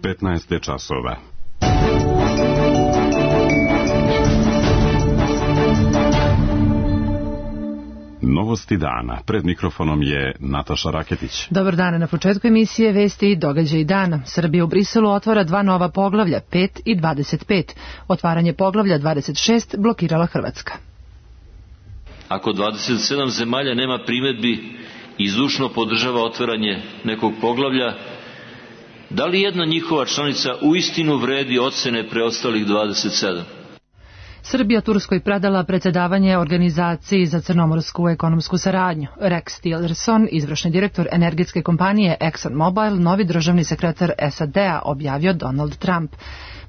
15 časova. Novosti dana. Pred mikrofonom je Nataša Raketić. Dobar dan. Na početku emisije vesti i događaji dana. Srbija u Briselu otvara 2 nova poglavlja, 5 i 25. Otvaranje poglavlja 26 blokirala Hrvatska. Ako 27 zemalja nema primedbi i zdušno podržava otvaranje nekog poglavlja, da li jedna njihova članica uistinu vredi ocene preostalih 27? Srbija Turskoj predala predsjedavanje Organizaciji za crnomorsku ekonomsku saradnju. Rex Tillerson, izvršni direktor energetske kompanije ExxonMobil, novi državni sekretar SAD-a, objavio Donald Trump.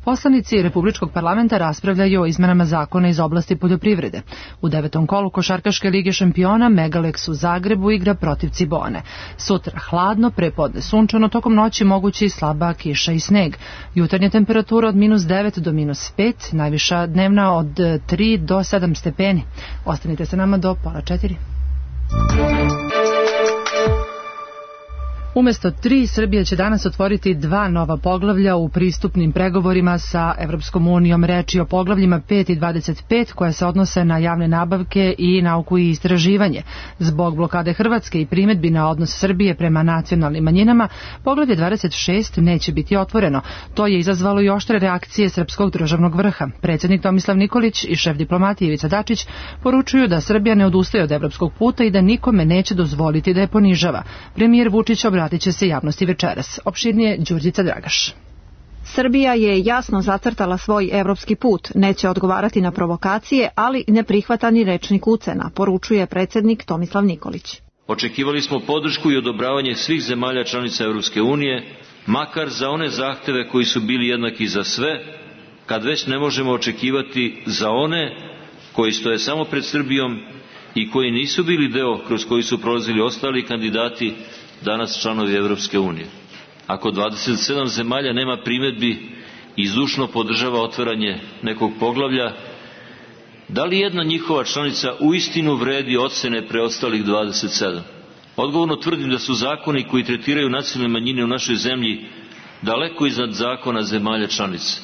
Poslanici Republičkog parlamenta raspravljaju o izmenama zakona iz oblasti poljoprivrede. U 9. kolu košarkaške lige šampiona Megalex u Zagrebu igra protiv Cibone. Sutra hladno, prepodne sunčano, tokom noći mogući slaba kiša i sneg. Jutarnja temperatura od -9 do -5, najviša dnevna od 3 do 7 stepeni. Ostanite sa nama do 3:30. Umjesto 3, Srbija će danas otvoriti 2 nova poglavlja u pristupnim pregovorima sa Evropskom unijom. Reč je o poglavljima 5 i 25 koja se odnose na javne nabavke i nauku i istraživanje. Zbog blokade Hrvatske i primedbi na odnos Srbije prema nacionalnim manjinama, poglavlje 26 neće biti otvoreno. To je izazvalo i oštre reakcije srpskog državnog vrha. Predsjednik Tomislav Nikolić i šef diplomatije Ivica Dačić poručuju da Srbija ne odustaje od evropskog puta i da nikome neće dozvoliti da je ponižava. Premijer Vučić obratit će se javnosti večeras. Opširnije Đurđica Dragaš. Srbija je jasno zacrtala svoj evropski put, neće odgovarati na provokacije, ali ne prihvata ni rečnik ucena, poručuje predsjednik Tomislav Nikolić. Očekivali smo podršku i odobravanje svih zemalja članica Evropske unije, makar za one zahteve koji su bili jednaki za sve, kad već ne možemo očekivati za one koji stoje samo pred Srbijom i koji nisu bili deo kroz koji su prolazili ostali kandidati, danas članovi Evropske unije. Ako 27 zemalja nema primedbi i zdušno podržava otvaranje nekog poglavlja, da li jedna njihova članica uistinu vredi ocene preostalih 27? Odgovorno tvrdim da su zakoni koji tretiraju nacionalne manjine u našoj zemlji daleko iznad zakona zemalja članica.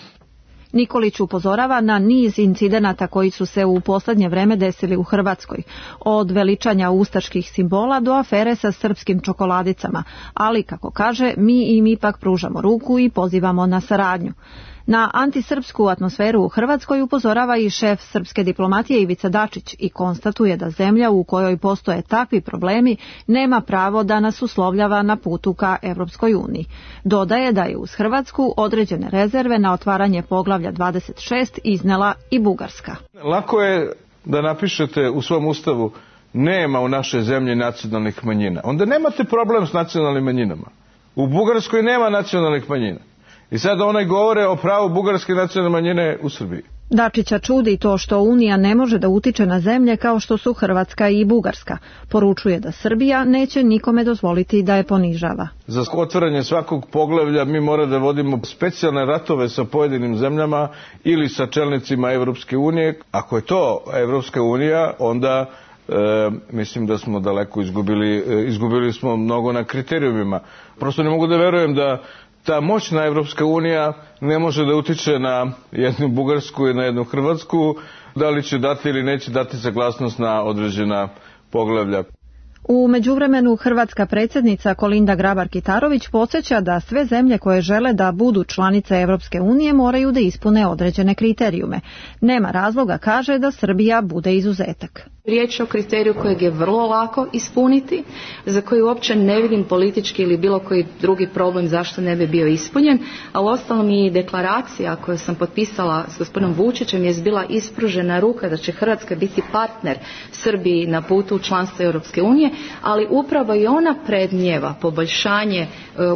Nikolić upozorava na niz incidenata koji su se u posljednje vreme desili u Hrvatskoj, od veličanja ustaških simbola do afere sa srpskim čokoladicama, ali, kako kaže, mi im ipak pružamo ruku i pozivamo na saradnju. Na antisrpsku atmosferu u Hrvatskoj upozorava i šef srpske diplomatije Ivica Dačić i konstatuje da zemlja u kojoj postoje takvi problemi nema pravo da nas uslovljava na putu ka Evropskoj uniji. Dodaje da je uz Hrvatsku određene rezerve na otvaranje poglavlja 26 iznela i Bugarska. Lako je da napišete u svom ustavu nema u našoj zemlji nacionalnih manjina. Onda nemate problem s nacionalnim manjinama. U Bugarskoj nema nacionalnih manjina. I sad one govore o pravu bugarske nacionalne manjine u Srbiji. Dačića čudi to što Unija ne može da utiče na zemlje kao što su Hrvatska i Bugarska. Poručuje da Srbija neće nikome dozvoliti da je ponižava. Za otvaranje svakog poglavlja mi moramo da vodimo specijalne ratove sa pojedinim zemljama ili sa čelnicima Evropske unije. Ako je to Evropska unija, onda mislim da smo daleko izgubili smo mnogo na kriterijumima. Prosto ne mogu da verujem da ta moćna Evropska unija ne može da utiče na jednu Bugarsku i na jednu Hrvatsku, da li će dati ili neće dati saglasnost na određena poglavlja. U međuvremenu hrvatska predsjednica Kolinda Grabar-Kitarović podsjeća da sve zemlje koje žele da budu članice Evropske unije moraju da ispune određene kriterijume. Nema razloga, kaže, da Srbija bude izuzetak. Riječ je o kriteriju kojeg je vrlo lako ispuniti, za koji uopće ne vidim politički ili bilo koji drugi problem zašto ne bi bio ispunjen, a uostalom i deklaracija koju sam potpisala s gospodinom Vučićem je bila ispružena ruka da će Hrvatska biti partner Srbiji na putu u članstvo Europske unije, ali upravo i ona predmnijeva poboljšanje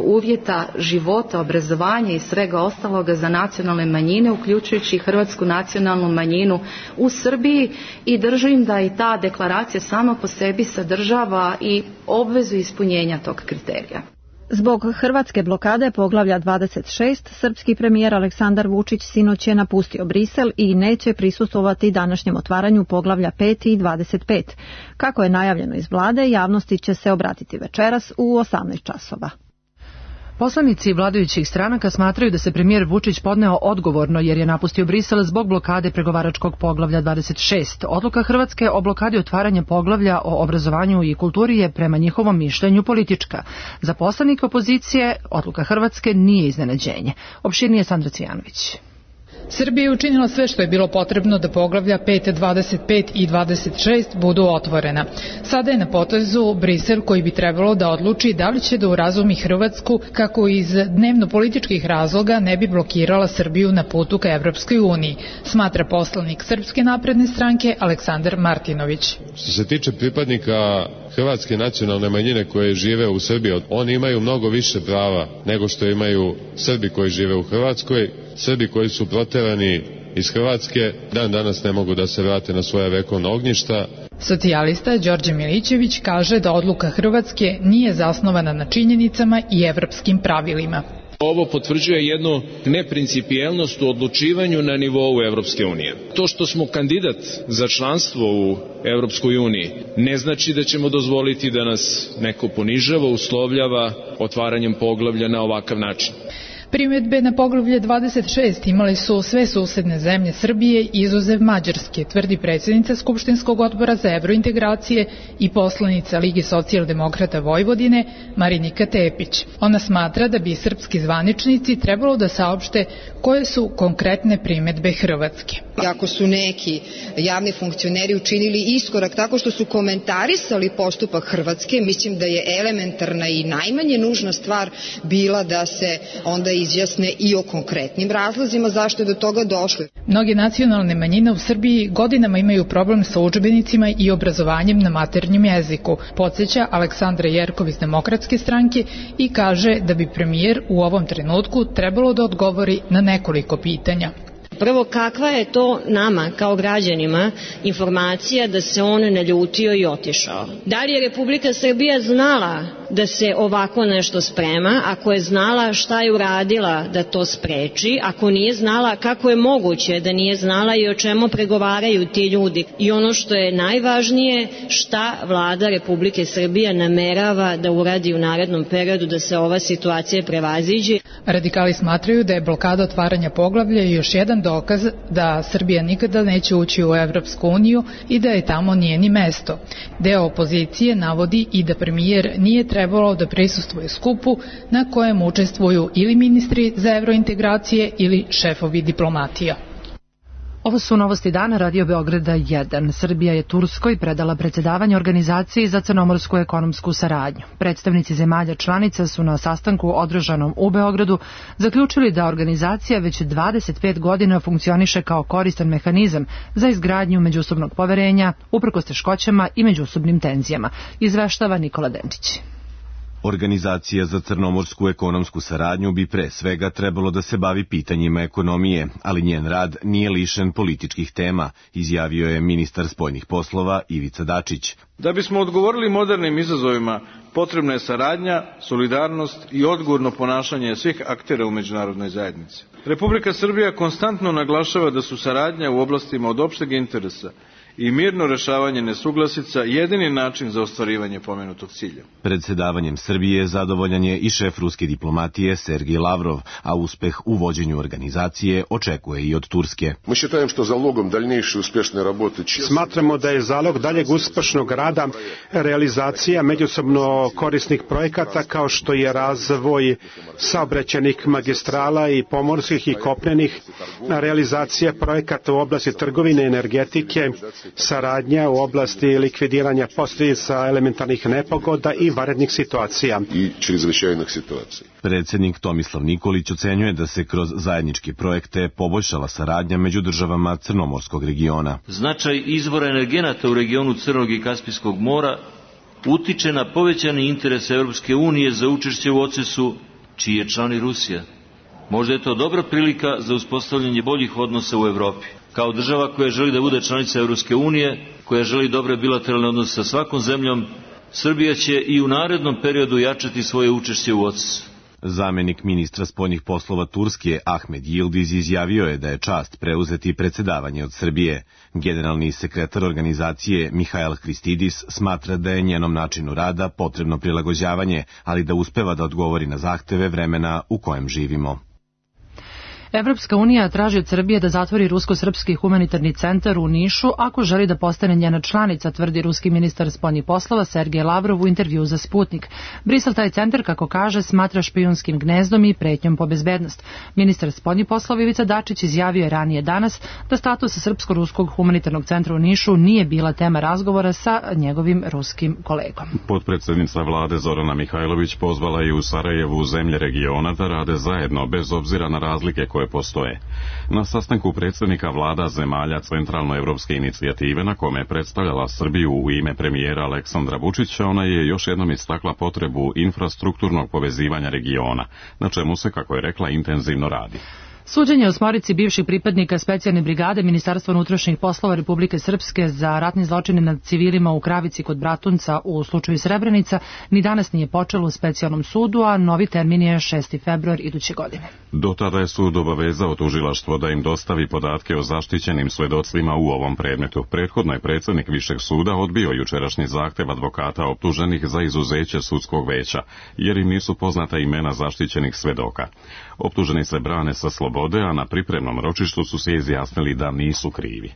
uvjeta života, obrazovanja i svega ostaloga za nacionalne manjine, uključujući i hrvatsku nacionalnu manjinu u Srbiji, i držim da i ta deklaracija sama po sebi sadržava i obvezu ispunjenja tog kriterija. Zbog hrvatske blokade poglavlja 26, srpski premijer Aleksandar Vučić sinoć je napustio Brisel i neće prisustvovati današnjem otvaranju poglavlja 5 i 25. Kako je najavljeno iz vlade, javnosti će se obratiti večeras u 18 časova. Poslanici vladajućih stranaka smatraju da se premijer Vučić podneo odgovorno jer je napustio Brisel zbog blokade pregovaračkog poglavlja 26. Odluka Hrvatske o blokadi otvaranja poglavlja o obrazovanju i kulturi je prema njihovom mišljenju politička. Za poslanike opozicije odluka Hrvatske nije iznenađenje. Opširnije Sandra Cvijanović. Srbija je učinila sve što je bilo potrebno da poglavlja 5, 25 i 26 budu otvorena. Sada je na potezu Brisel koji bi trebalo da odluči da li će da urazumi Hrvatsku kako iz dnevno-političkih razloga ne bi blokirala Srbiju na putu ka Evropskoj uniji, smatra poslanik Srpske napredne stranke Aleksandar Martinović. Što se tiče pripadnika hrvatske nacionalne manjine koje žive u Srbiji, oni imaju mnogo više prava nego što imaju Srbi koji žive u Hrvatskoj. Srbi koji su proterani iz Hrvatske dan danas ne mogu da se vrate na svoja vekovna ognjišta. Socijalista Đorđe Milićević kaže da odluka Hrvatske nije zasnovana na činjenicama i evropskim pravilima. Ovo potvrđuje jednu neprincipijelnost u odlučivanju na nivou Evropske unije. To što smo kandidat za članstvo u Evropskoj uniji ne znači da ćemo dozvoliti da nas neko ponižava, uslovljava otvaranjem poglavlja na ovakav način. Primjedbe na poglavlje 26 imali su sve susedne zemlje Srbije izuzev Mađarske, tvrdi predsjednica Skupštinskog odbora za evrointegracije i poslanica Lige socijaldemokrata Vojvodine Marinika Tepić. Ona smatra da bi srpski zvaničnici trebalo da saopšte koje su konkretne primjedbe Hrvatske. Ako su neki javni funkcioneri učinili iskorak tako što su komentarisali postupak Hrvatske, mislim da je elementarna i najmanje nužna stvar bila da se onda izjasne i o konkretnim razlozima zašto je do toga došlo. Mnoge nacionalne manjine u Srbiji godinama imaju problem sa udžbenicima i obrazovanjem na maternjem jeziku, podsjeća Aleksandra Jerkov iz Demokratske stranke i kaže da bi premijer u ovom trenutku trebalo da odgovori na nekoliko pitanja. Prvo, kakva je to nama kao građanima informacija da se on naljutio i otišao? Da li je Republika Srbija znala da se ovako nešto sprema? Ako je znala, šta je uradila da to spreči? Ako nije znala, kako je moguće da nije znala i o čemu pregovaraju ti ljudi? I ono što je najvažnije, šta vlada Republike Srbije namerava da uradi u narednom periodu da se ova situacija prevaziđe? Radikali smatraju da je blokada otvaranja poglavlja još jedan dokaz da Srbija nikada neće ući u Evropsku uniju i da je tamo nije ni mesto. Deo opozicije navodi i da premijer nije trebalo da prisustvuje skupu na kojem učestvuju ili ministri za evrointegracije ili šefovi diplomatija. Ovo su novosti dana Radio Beograda 1. Srbija je Turskoj predala predsjedavanje organizaciji za crnomorsku ekonomsku saradnju. Predstavnici zemalja članica su na sastanku održanom u Beogradu zaključili da organizacija već 25 godina funkcioniše kao koristan mehanizam za izgradnju međusobnog poverenja, uprkos teškoćama i međusobnim tenzijama, izveštava Nikola Denčić. Organizacija za crnomorsku ekonomsku saradnju bi pre svega trebalo da se bavi pitanjima ekonomije, ali njen rad nije lišen političkih tema, izjavio je ministar spoljnih poslova Ivica Dačić. Da bismo odgovorili modernim izazovima, potrebna je saradnja, solidarnost i odgovorno ponašanje svih aktera u međunarodnoj zajednici. Republika Srbija konstantno naglašava da su saradnja u oblastima od opšteg interesa i mirno rešavanje nesuglasica jedini način za ostvarivanje pomenutog cilja. Predsedavanjem Srbije zadovoljan je i šef ruske diplomatije Sergej Lavrov, a uspeh u vođenju organizacije očekuje i od Turske. Smatramo da je zalog daljeg uspešnog rada realizacija međusobno korisnih projekata kao što je razvoj saobraćajnih magistrala i pomorskih i kopnenih, realizacija projekata u oblasti trgovine i energetike, saradnja u oblasti likvidiranja posljedica elementarnih nepogoda i vanrednih situacija. Predsjednik Tomislav Nikolić ocenjuje da se kroz zajedničke projekte poboljšala saradnja među državama Crnomorskog regiona. Značaj izvora energenata u regionu Crnog i Kaspijskog mora utiče na povećani interes Evropske unije za učešće u OCES-u, čiji je član i Rusija. Možda je to dobra prilika za uspostavljanje boljih odnosa u Evropi. Kao država koja želi da bude članica Evropske unije, koja želi dobre bilateralne odnose sa svakom zemljom, Srbija će i u narednom periodu jačati svoje učešće u OCES-u. Zamenik ministra spoljnih poslova Turske Ahmed Yildiz izjavio je da je čast preuzeti predsedavanje od Srbije. Generalni sekretar organizacije Mihail Hristidis smatra da je njenom načinu rada potrebno prilagođavanje, ali da uspeva da odgovori na zahteve vremena u kojem živimo. Evropska unija traži od Srbije da zatvori rusko-srpski humanitarni centar u Nišu ako želi da postane njena članica, tvrdi ruski ministar spoljnih poslova Sergej Lavrov u intervju za Sputnik. Brisel taj centar, kako kaže, smatra špijunskim gnezdom i pretnjom po bezbednost. Ministar spoljnih poslova Ivica Dačić izjavio je ranije danas da status srpsko-ruskog humanitarnog centra u Nišu nije bila tema razgovora sa njegovim ruskim kolegom. Potpredsednica vlade Zorana Mihajlović pozvala je u Sarajevu zemlje regiona da rade zajedno bez obzira na razlike koje postoje. Na sastanku predsjednika vlada zemalja Centralnoevropske inicijative, na kome je predstavljala Srbiju u ime premijera Aleksandra Vučića, ona je još jednom istakla potrebu infrastrukturnog povezivanja regiona, na čemu se, kako je rekla, intenzivno radi. Suđenje osmorici bivših pripadnika specijalne brigade Ministarstva unutrašnjih poslova Republike Srpske za ratni zločine nad civilima u Kravici kod Bratunca u slučaju Srebrenica ni danas nije počelo u specijalnom sudu, a novi termin je 6. februar iduće godine. Do tada je sud obavezao tužilaštvo da im dostavi podatke o zaštićenim svedocima u ovom predmetu. Prethodno je predsjednik Višeg suda odbio jučerašnji zahtev advokata optuženih za izuzeće sudskog veća, jer im nisu poznata imena zaštićenih svedoka. Optuženi se brane sa slobode, a na pripremnom ročištu su se izjasnili da nisu krivi.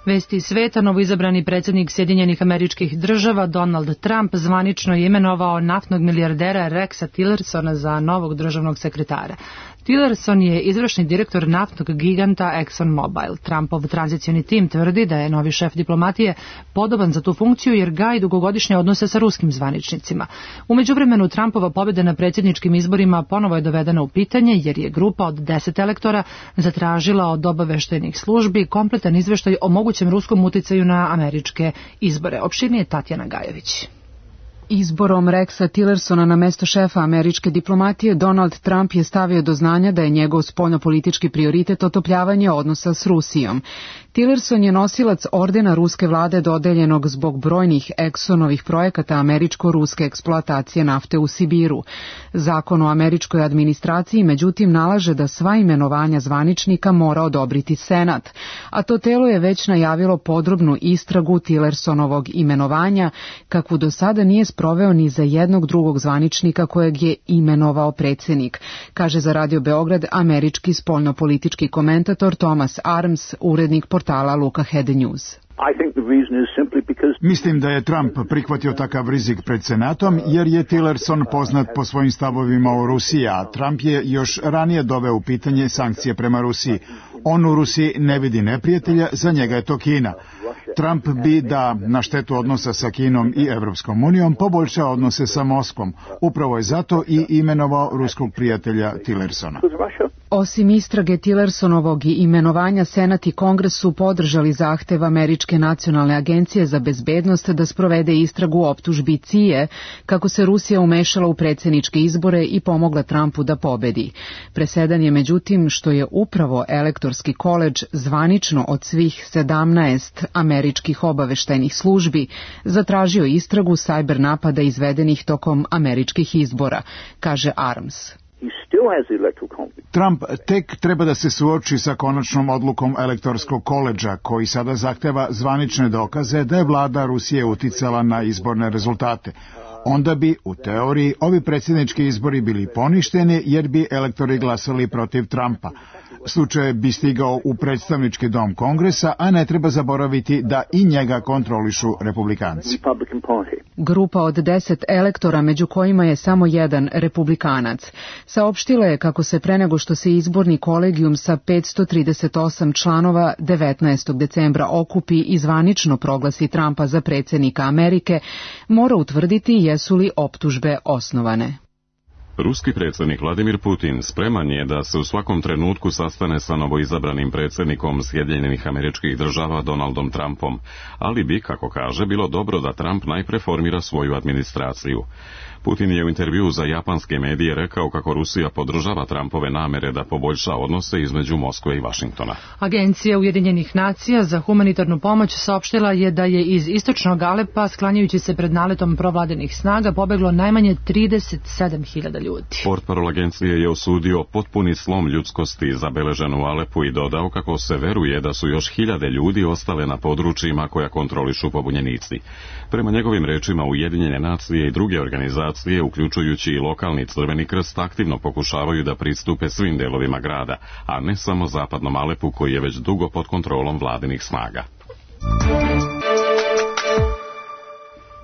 Vesti sveta, novoizabrani predsjednik Sjedinjenih Američkih Država Donald Trump zvanično je imenovao naftnog milijardera Rexa Tillersona za novog državnog sekretara. Tillerson je izvršni direktor naftnog giganta ExxonMobil. Trumpov tranzicioni tim tvrdi da je novi šef diplomatije podoban za tu funkciju jer gaji dugogodišnje odnose sa ruskim zvaničnicima. U međuvremenu Trumpova pobjeda na predsjedničkim izborima ponovo je dovedena u pitanje jer je grupa od 10 elektora zatražila od obaveštajnih službi kompletan izveštaj o mogućem ruskom uticaju na američke izbore. Opširnije Tatjana Gajović. Izborom Rexa Tillersona na mesto šefa američke diplomatije, Donald Trump je stavio do znanja da je njegov spoljnopolitički prioritet otopljavanje odnosa s Rusijom. Tillerson je nosilac ordena ruske vlade dodeljenog zbog brojnih Exxonovih projekata američko-ruske eksploatacije nafte u Sibiru. Zakon o američkoj administraciji međutim nalaže da sva imenovanja zvaničnika mora odobriti Senat, a to telo je već najavilo podrobnu istragu Tillersonovog imenovanja, kakvu do sada nije sproveo ni za jednog drugog zvaničnika kojeg je imenovao predsjednik, kaže za Radio Beograd američki spoljnopolitički komentator Thomas Arms, urednik portala Luka Head News. Mislim da je Trump prihvatio takav rizik pred Senatom jer je Tillerson poznat po svojim stavovima o Rusiji, a Trump je još ranije doveo u pitanje sankcije prema Rusiji. On u Rusiji ne vidi neprijatelja, za njega je to Kina. Trump bi da na štetu odnosa sa Kinom i Evropskom unijom poboljšao odnose sa Moskvom. Upravo je zato i imenovao ruskog prijatelja Tillersona. Osim istrage Tillersonovog i imenovanja, Senat i Kongres su podržali zahtev Američke nacionalne agencije za bezbednost da sprovede istragu optužbi CIA kako se Rusija umešala u predsjedničke izbore i pomogla Trumpu da pobedi. Presedan je međutim što je upravo elektorski koledž zvanično od svih 17 američkih obaveštajnih službi zatražio istragu sajber napada izvedenih tokom američkih izbora, kaže Arms. Trump tek treba da se suoči sa konačnom odlukom elektorskog koledža, koji sada zahteva zvanične dokaze da je vlada Rusije uticala na izborne rezultate. Onda bi, u teoriji, ovi predsjednički izbori bili poništeni jer bi elektori glasali protiv Trumpa. Slučaj bi stigao u predstavnički dom Kongresa, a ne treba zaboraviti da i njega kontrolišu republikanci. Grupa od 10 elektora, među kojima je samo jedan republikanac, saopštila je kako se pre nego što se izborni kolegijum sa 538 članova 19. decembra okupi i zvanično proglasi Trumpa za predsjednika Amerike, mora utvrditi jesu li optužbe osnovane. Ruski predsjednik Vladimir Putin spreman je da se u svakom trenutku sastane sa novoizabranim predsjednikom Sjedinjenih Američkih Država Donaldom Trumpom, ali bi, kako kaže, bilo dobro da Trump najpre formira svoju administraciju. Putin je u intervjuu za japanske medije rekao kako Rusija podržava Trumpove namere da poboljša odnose između Moskve i Vašingtona. Agencija Ujedinjenih nacija za humanitarnu pomoć saopštila je da je iz istočnog Alepa, sklanjajući se pred naletom provladinih snaga, pobeglo najmanje 37.000 ljudi. Portparol agencije je osudio potpuni slom ljudskosti zabeležen u Alepu i dodao kako se veruje da su još hiljade ljudi ostale na područjima koja kontrolišu pobunjenici. Prema njegovim rečima, Ujedinjene nacije i druge organizacije, uključujući i lokalni Crveni krst, aktivno pokušavaju da pristupe svim delovima grada, a ne samo zapadnom Alepu koji je već dugo pod kontrolom vladinih snaga.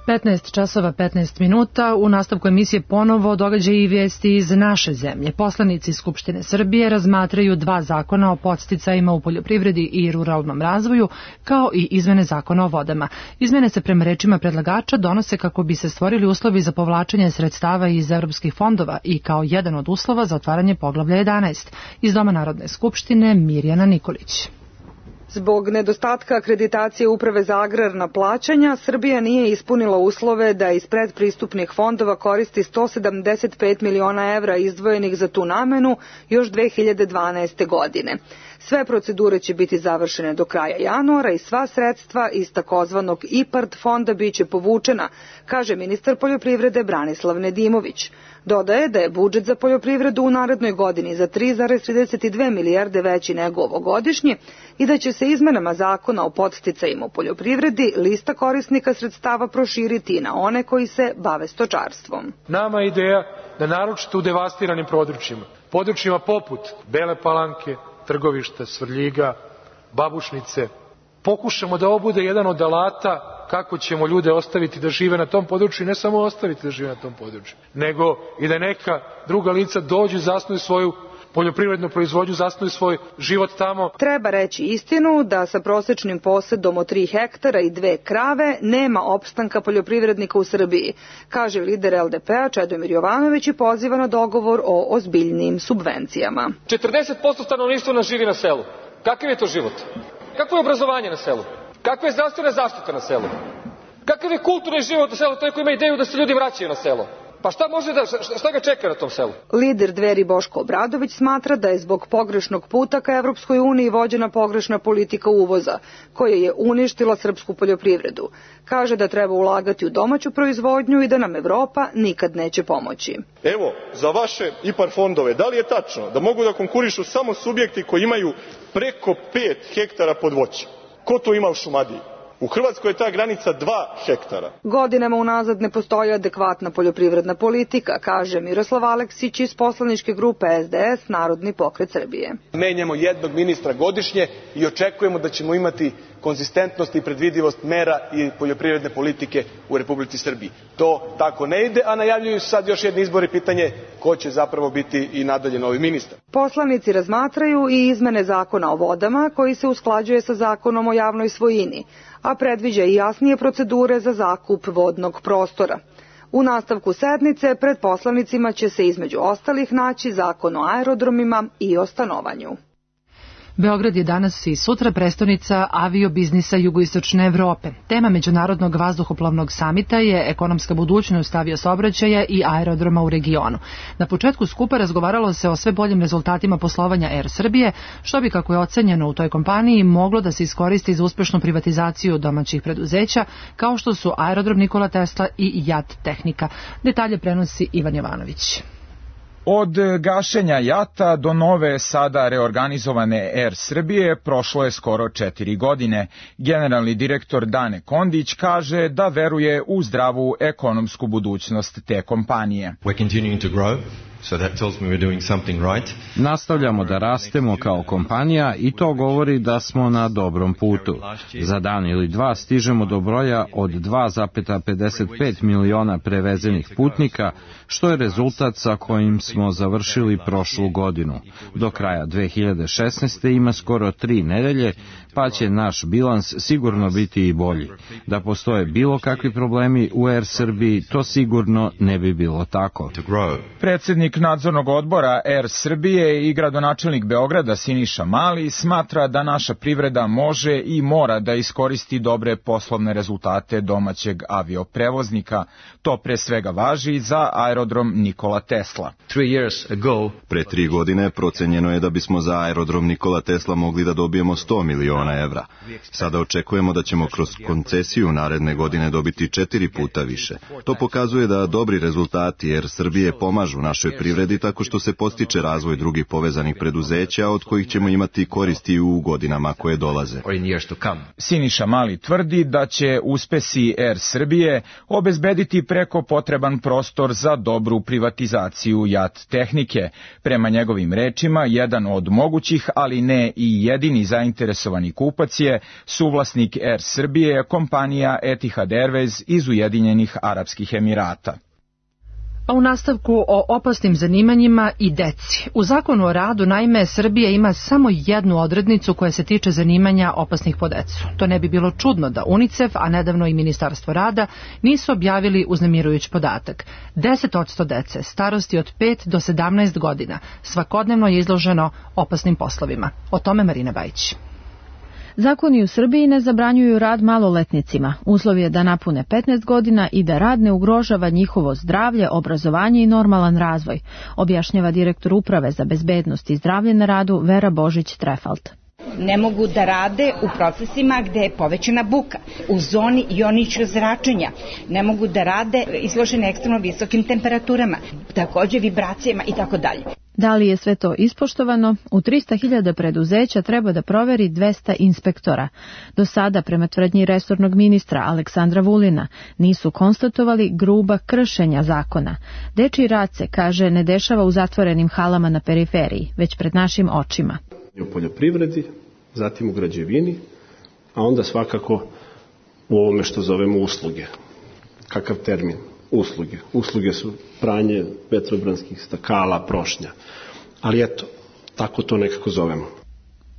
15 časova 15 minuta. U nastavku emisije ponovo događaji i vijesti iz naše zemlje. Poslanici Skupštine Srbije razmatraju 2 zakona o podsticajima u poljoprivredi i ruralnom razvoju, kao i izmene zakona o vodama. Izmene se prema rečima predlagača donose kako bi se stvorili uslovi za povlačenje sredstava iz evropskih fondova i kao jedan od uslova za otvaranje poglavlja 11. Iz Doma Narodne skupštine Mirjana Nikolić. Zbog nedostatka akreditacije Uprave za agrarna plaćanja, Srbija nije ispunila uslove da iz predpristupnih fondova koristi 175 miliona evra izdvojenih za tu namenu još 2012. godine. Sve procedure će biti završene do kraja januara i sva sredstva iz takozvanog IPARD fonda biće povučena, kaže ministar poljoprivrede Branislav Nedimović. Dodaje da je budžet za poljoprivredu u narednoj godini za 3,32 milijarde veći nego ovogodišnji i da će se izmenama zakona o podsticajima u poljoprivredi lista korisnika sredstava proširiti na one koji se bave stočarstvom. Nama je ideja da naročito u devastiranim područjima poput Bele Palanke, Trgovišta, Svrljiga, Babušnice, pokušamo da ovo bude jedan od alata kako ćemo ljude ostaviti da žive na tom području i ne samo ostaviti da žive na tom području, nego i da neka druga lica dođu i zasnuju svoju poljoprivrednu proizvodnju, zasnuju svoj život tamo. Treba reći istinu da sa prosečnim posedom od 3 hektara i 2 krave nema opstanka poljoprivrednika u Srbiji, kaže lider LDP-a Čedomir Jovanović i poziva na dogovor o ozbiljnim subvencijama. 40% stanovništva nas živi na selu. Kakav je to život? Kakvo je obrazovanje na selu? Kakva je zdravstvena zaštita na selu? Kakav je kulturni život na selu? To je ko ima ideju da se ljudi vraćaju na selo. Pa šta ga čeka na tom selu? Lider Dveri Boško Obradović smatra da je zbog pogrešnog puta ka Evropskoj uniji vođena pogrešna politika uvoza, koja je uništila srpsku poljoprivredu. Kaže da treba ulagati u domaću proizvodnju i da nam Evropa nikad neće pomoći. Evo, za vaše IPAR fondove, da li je tačno da mogu da konkurišu samo subjekti koji imaju preko 5 hektara pod voćem? Ko to ima u Šumadiji? U Hrvatskoj je ta granica 2 hektara. Godinama unazad ne postoji adekvatna poljoprivredna politika, kaže Miroslav Aleksić iz poslaničke grupe SDS Narodni pokret Srbije. Menjamo jednog ministra godišnje i očekujemo da ćemo imati konzistentnost i predvidivost mera i poljoprivredne politike u Republici Srbiji. To tako ne ide, a najavljuju se sad još jedni izbori, pitanje ko će zapravo biti i nadalje novi ministar. Poslanici razmatraju i izmene zakona o vodama koji se usklađuje sa zakonom o javnoj svojini, a predviđa i jasnije procedure za zakup vodnog prostora. U nastavku sednice pred poslanicima će se između ostalih naći zakon o aerodromima i o stanovanju. Beograd je danas i sutra prestonica aviobiznisa jugoistočne Evrope. Tema Međunarodnog vazduhoplovnog samita je ekonomska budućnost aviosaobraćaja i aerodroma u regionu. Na početku skupa razgovaralo se o sve boljim rezultatima poslovanja Air Srbije, što bi, kako je ocenjeno u toj kompaniji, moglo da se iskoristi za uspešnu privatizaciju domaćih preduzeća, kao što su Aerodrom Nikola Tesla i JAT Tehnika. Detalje prenosi Ivan Jovanović. Od gašenja JAT-a do nove, sada reorganizovane Air Srbije prošlo je skoro 4 godine. Generalni direktor Dane Kondić kaže da veruje u zdravu ekonomsku budućnost te kompanije. Nastavljamo da rastemo kao kompanija i to govori da smo na dobrom putu. Za dan ili dva stižemo do broja od 2,55 miliona prevezenih putnika, što je rezultat sa kojim smo završili prošlu godinu. Do kraja 2016. ima skoro 3 nedelje, pa će naš bilans sigurno biti i bolji. Da postoje bilo kakvi problemi u Air Srbiji, to sigurno ne bi bilo tako. Predsjednik nadzornog odbora Air Srbije i gradonačelnik Beograda Siniša Mali smatra da naša privreda može i mora da iskoristi dobre poslovne rezultate domaćeg avioprevoznika. To pre svega važi za aerodrom Nikola Tesla. Pre 3 godine procenjeno je da bismo za aerodrom Nikola Tesla mogli da dobijemo 100 miliona evra. Sada očekujemo da ćemo kroz koncesiju naredne godine dobiti 4 puta više. To pokazuje da dobri rezultati Air Srbije pomažu našoj privredi tako što se postiče razvoj drugih povezanih preduzeća od kojih ćemo imati koristi u godinama koje dolaze. Siniša Mali tvrdi da će uspesi Air Srbije obezbediti preko potreban prostor za dobru privatizaciju JAT tehnike. Prema njegovim rečima, jedan od mogućih, ali ne i jedini zainteresovani kupac je suvlasnik Air Srbije, kompanija Etihad Airways iz Ujedinjenih Arapskih Emirata. A u nastavku o opasnim zanimanjima i deci. U Zakonu o radu, naime, Srbija ima samo jednu odrednicu koja se tiče zanimanja opasnih po decu. To ne bi bilo čudno da UNICEF, a nedavno i Ministarstvo rada, nisu objavili uznemirujući podatak. 10% dece starosti od 5 do 17 godina svakodnevno je izloženo opasnim poslovima. O tome Marina Bajić. Zakoni u Srbiji ne zabranjuju rad maloletnicima. Uslov je da napune 15 godina i da rad ne ugrožava njihovo zdravlje, obrazovanje i normalan razvoj, objašnjava direktor Uprave za bezbednost i zdravlje na radu Vera Božić-Trefalt. Ne mogu da rade u procesima gde je povećana buka, u zoni joničnog zračenja. Ne mogu da rade izložene ekstremno visokim temperaturama, takođe vibracijama i tako dalje. Da li je sve to ispoštovano? U 300.000 preduzeća treba da proveri 200 inspektora. Do sada, prema tvrdnji resornog ministra Aleksandra Vulina, nisu konstatovali gruba kršenja zakona. Dečiji rad se, kaže, ne dešava u zatvorenim halama na periferiji, već pred našim očima. U poljoprivredi, zatim u građevini, a onda svakako u ovome što zovemo usluge. Kakav termin? Usluge. Usluge su pranje vetrobranskih stakala, prošnja. Ali eto, tako to nekako zovemo.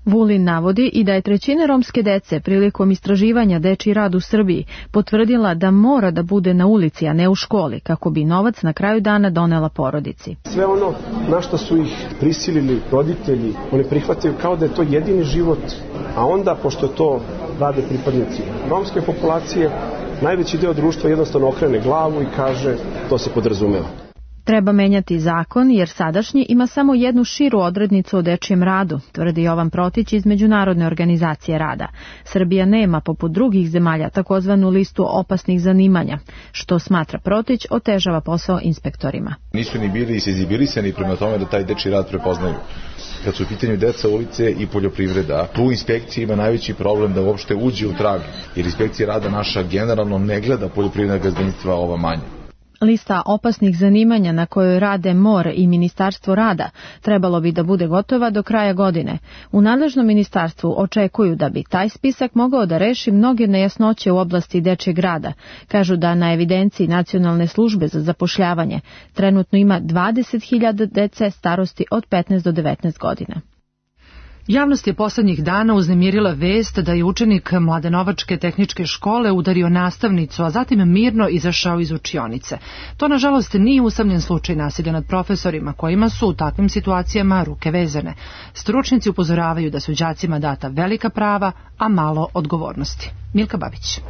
Vulin navodi i da je 1/3 romske dece prilikom istraživanja dečiji rad u Srbiji potvrdila da mora da bude na ulici, a ne u školi, kako bi novac na kraju dana donela porodici. Sve ono na što su ih prisilili roditelji, oni prihvataju kao da je to jedini život, a onda, pošto to rade pripadnici romske populacije, najveći deo društva jednostavno okrene glavu i kaže to se podrazumeva. Treba menjati zakon jer sadašnji ima samo jednu širu odrednicu o dečijem radu, tvrdi Jovan Protić iz Međunarodne organizacije rada. Srbija nema, poput drugih zemalja, takozvanu listu opasnih zanimanja, što, smatra Protić, otežava posao inspektorima. Nisu ni bili senzibilisani prema tome da taj dečiji rad prepoznaju. Kad su u pitanju deca, ulice i poljoprivreda, tu inspekcija ima najveći problem da uopšte uđe u trag, jer inspekcija rada naša generalno ne gleda poljoprivredna gazdinstva ova manja. Lista opasnih zanimanja na kojoj rade MOR i Ministarstvo rada trebalo bi da bude gotova do kraja godine. U nadležnom ministarstvu očekuju da bi taj spisak mogao da reši mnoge nejasnoće u oblasti dečjeg rada. Kažu da na evidenciji Nacionalne službe za zapošljavanje trenutno ima 20.000 dece starosti od 15 do 19 godina. Javnost je poslednjih dana uznemirila vest da je učenik Mladenovačke tehničke škole udario nastavnicu, a zatim mirno izašao iz učionice. To, nažalost, nije usamljen slučaj nasilja nad profesorima, kojima su u takvim situacijama ruke vezane. Stručnjaci upozoravaju da su đacima data velika prava, a malo odgovornosti. Milka Babić.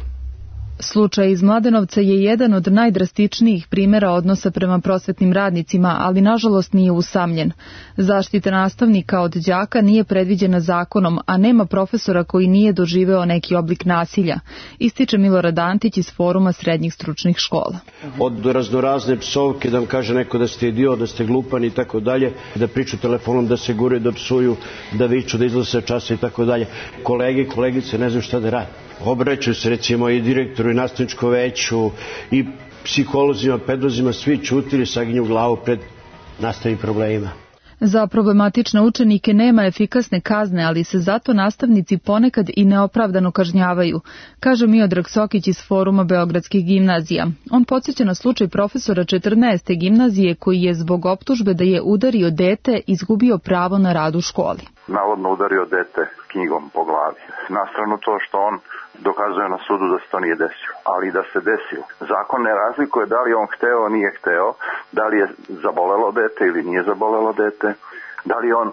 Slučaj iz Mladenovca je jedan od najdrastičnijih primjera odnosa prema prosvetnim radnicima, ali nažalost nije usamljen. Zaštita nastavnika od đaka nije predviđena zakonom, a nema profesora koji nije doživeo neki oblik nasilja, ističe Milorad Antić iz Foruma srednjih stručnih škola. Od raznorazne psovke, da vam kaže neko da ste idiot, da ste glupan i tako dalje, da priču telefonom, da se gure, da psuju, da viču, da izlaze časa i tako dalje. Kolege i kolegice ne znaju šta da rade. Obraćaju se recimo i direktoru i nastavničkom veću i psiholozima, pedagozima, svi čutili, saginju glavu pred nastavi problemima. Za problematične učenike nema efikasne kazne, ali se zato nastavnici ponekad i neopravdano kažnjavaju, kaže Miodrag Sokić iz Foruma Beogradskih gimnazija. On podsjeća na slučaj profesora 14. gimnazije koji je zbog optužbe da je udario dete izgubio pravo na rad u školi. Navodno udario dete knjigom po glavi. Na stranu to što on dokazuje na sudu da se to nije desilo, ali da se desilo. Zakon ne razlikuje da li on hteo, nije hteo, da li je zabolelo dete ili nije zabolelo dete, da li on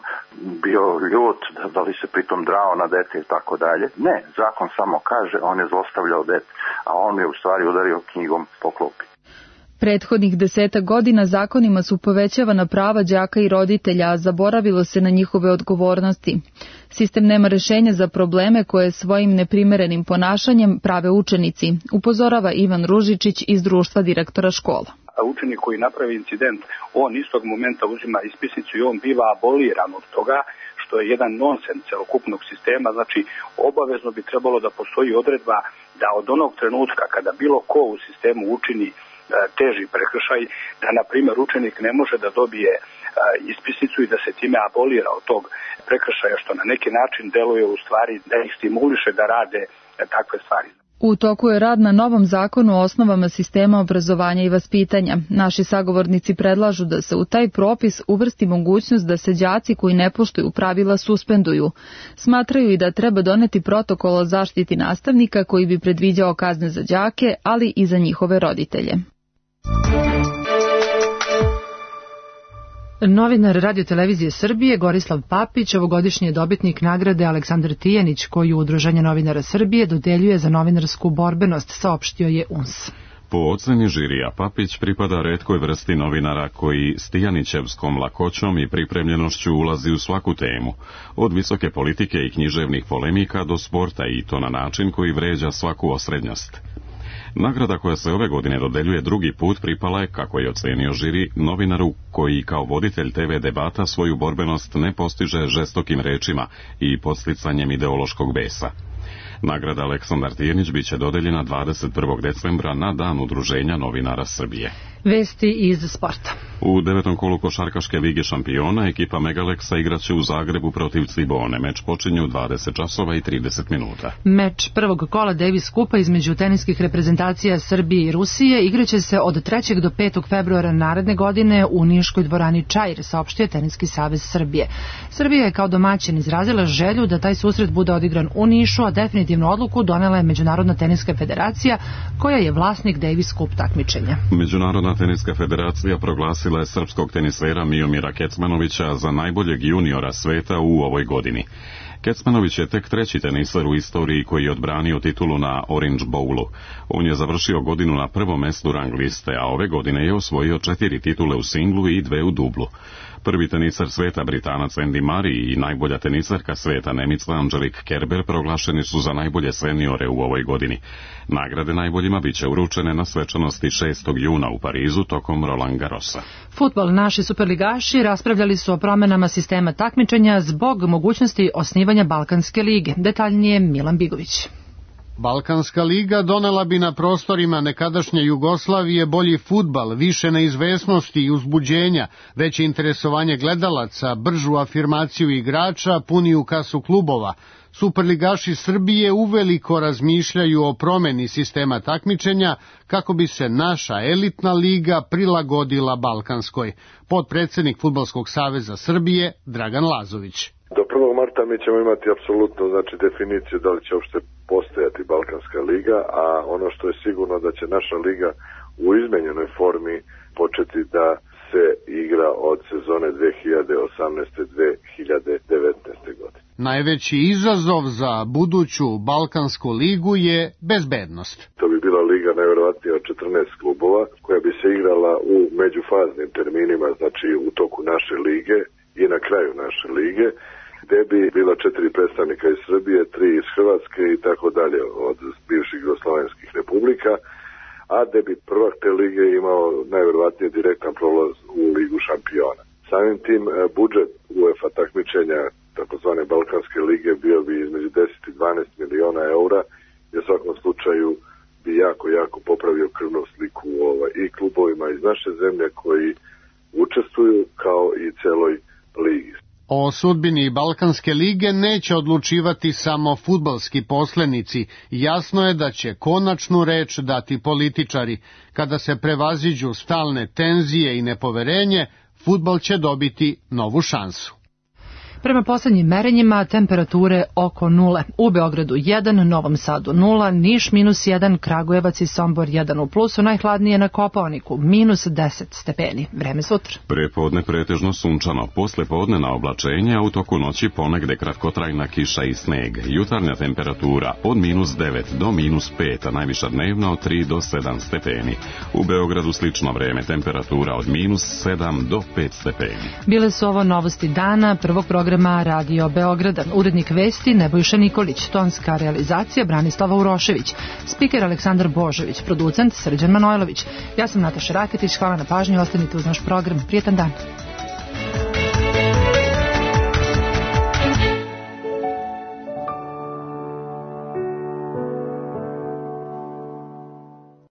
bio ljut, da li se pritom drao na dete i tako dalje. Ne, zakon samo kaže on je zlostavljao dete, a on je u stvari udario knjigom po klupi. Prethodnih 10 godina zakonima su povećavana prava đaka i roditelja, a zaboravilo se na njihove odgovornosti. Sistem nema rešenja za probleme koje svojim neprimerenim ponašanjem prave učenici, upozorava Ivan Ružičić iz društva direktora škola. A učenik koji napravi incident, on istog momenta uzima ispisnicu i on biva aboliran od toga, što je jedan nonsens celokupnog sistema. Znači, obavezno bi trebalo da postoji odredba da od onog trenutka kada bilo ko u sistemu učini teži prekršaj, da na primjer učenik ne može da dobije ispisnicu i da se time abolira od tog prekršaja, što na neki način deluje u stvari da ih stimuliše da rade takve stvari. U toku je rad na novom zakonu o osnovama sistema obrazovanja i vaspitanja. Naši sagovornici predlažu da se u taj propis uvrsti mogućnost da se đaci koji ne poštuju pravila suspenduju. Smatraju i da treba doneti protokol o zaštiti nastavnika koji bi predviđao kazne za đake, ali i za njihove roditelje. Novinar Radio-televizije Srbije Gorislav Papić, ovogodišnji je dobitnik nagrade Aleksandar Tijanić, koju Udruženje novinara Srbije dodeljuje za novinarsku borbenost, saopštio je UNS. Po oceni žirija, Papić pripada retkoj vrsti novinara koji s tijanićevskom lakoćom i pripremljenošću ulazi u svaku temu, od visoke politike i književnih polemika do sporta, i to na način koji vređa svaku osrednjost. Nagrada koja se ove godine dodeljuje drugi put pripala je, kako je ocenio žiri, novinaru koji kao voditelj TV debata svoju borbenost ne postiže žestokim rečima i podsticanjem ideološkog besa. Nagrada Aleksandar Tijanić biće dodeljena 21. decembra na Dan Udruženja novinara Srbije. Vesti iz sporta. U 9. kolu košarkaške lige šampiona ekipa Megaleksa igraće u Zagrebu protiv Cibone. Meč počinje u 20 časova i 30 minuta. Meč prvog kola Davis Kupa između teniskih reprezentacija Srbije i Rusije igraće se od 3. do 5. februara naredne godine u niškoj dvorani Čair, saopštio Teniski savez Srbije. Srbija je kao domaćin izrazila želju da taj susret bude odigran u Nišu, a definitivnu odluku donela je Međunarodna teniska federacija, koja je vlasnik Davis Cup takmičenja. Međunarodna teniska federacija proglasila je srpskog tenisera Miomira Kecmanovića za najboljeg juniora sveta u ovoj godini. Kecmanović je tek treći teniser u istoriji koji je odbranio titulu na Orange Bowlu. On je završio godinu na prvom mestu rang liste, a ove godine je osvojio 4 titule u singlu i 2 u dublu. Prvi teniser sveta Britanac Andy Murray i najbolja tenisarka sveta Nemica Angelique Kerber proglašeni su za najbolje seniore u ovoj godini. Nagrade najboljima biće uručene na svečanosti 6. juna u Parizu tokom Roland Garrosa. Fudbal. Naši superligaši raspravljali su o promenama sistema takmičenja zbog mogućnosti osnivanja Balkanske lige. Detaljnije Milan Bigović. Balkanska liga donela bi na prostorima nekadašnje Jugoslavije bolji fudbal, više neizvesnosti i uzbuđenja, veće interesovanje gledalaca, bržu afirmaciju igrača, puniju kasu klubova. Superligaši Srbije uveliko razmišljaju o promeni sistema takmičenja kako bi se naša elitna liga prilagodila Balkanskoj. Potpredsednik Fudbalskog saveza Srbije Dragan Lazović. Do 1. marta mi ćemo imati apsolutno definiciju da li će uopšte postojati Balkanska liga, a ono što je sigurno da će naša liga u izmenjenoj formi početi da se igra od sezone 2018-2019. godine. Najveći izazov za buduću Balkansku ligu je bezbednost. To bi bila liga najverovatnije od 14 klubova koja bi se igrala u međufaznim terminima, znači u toku naše lige i na kraju naše lige, gde bi bila 4 predstavnika iz Srbije, 3 iz Hrvatske i tako dalje od bivših jugoslovenskih republika, a gde bi prvak te lige imao najverovatnije direktan prolaz u ligu šampiona. Samim tim budžet UEFA takmičenja takozvane Balkanske lige bio bi između 10 i 12 miliona eura i u svakom slučaju bi jako popravio krvnu sliku i klubovima iz naše zemlje koji učestvuju kao i celoj ligi. O sudbini Balkanske lige neće odlučivati samo fudbalski poslenici. Jasno je da će konačnu reč dati političari. Kada se prevaziđu stalne tenzije i nepoverenje, fudbal će dobiti novu šansu. Prema poslednjim merenjima temperature oko 0. U Beogradu 1, Novom Sadu 0, Niš -1, Kragujevac i Sombor 1 u plusu, najhladnije na Kopaoniku -10 stepeni. Vreme sutra. Prepodne pretežno sunčano, posle podnevna oblačenja, u toku noći ponegde kratkotrajna kiša i sneg. Jutarnja temperatura od -9 do -5, a najviša dnevna od 3 do 7 stepeni. U Beogradu slično vreme, temperatura od -7 do 5 stepeni. Bile su ovo novosti dana prvog programa Radio Beograda. Urednik vesti Nebojša Nikolić, tonska realizacija Branislava Urošević, spiker Aleksandar Božović, producent Srđan Manojlović. Ja sam Nataša Raketić, hvala na pažnji, ostanite uz naš program. Prijetan dan.